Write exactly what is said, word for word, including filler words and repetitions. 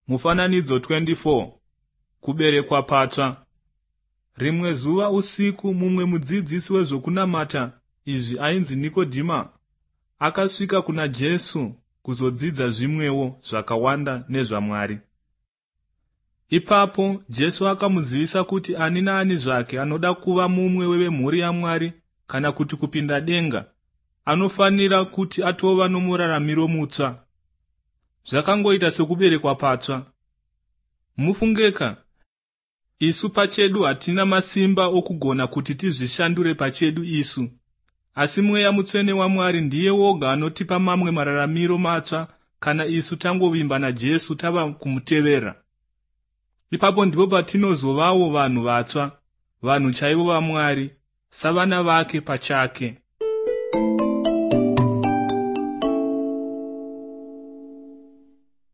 Mufananidzo twenty four. Kuberekwa patsva. Rimwe zuva usiku mumwe mudzidzisi wezvokunamata izvi ainzi Nikodhima akasvika kuna Jesu kuzodzidza zvimwewo zvakawanda nezvaMwari. Ipapo Jesu akamuzivisa kuti ani naani zvake anoda kuva mumwe wevemhuri yaMwari kana kuti kupinda denga anofanira kuti atova nomuraramiro mutsva. Zvakangoita sekuberekwa patsva. Mufungeka, isu pachedu hatina masimba okugona kuti tizvishandure pachedu isu. Asi Mweya Mutsvene waMwari ndiye woga anotipa mamwe mararamiro matsva kana isu tangovimba naJesu tava kumutevera. Ipapo ndipo patinozovawo vanhu vatsva, vanhu chaivo vaMwari, savana vake pachake.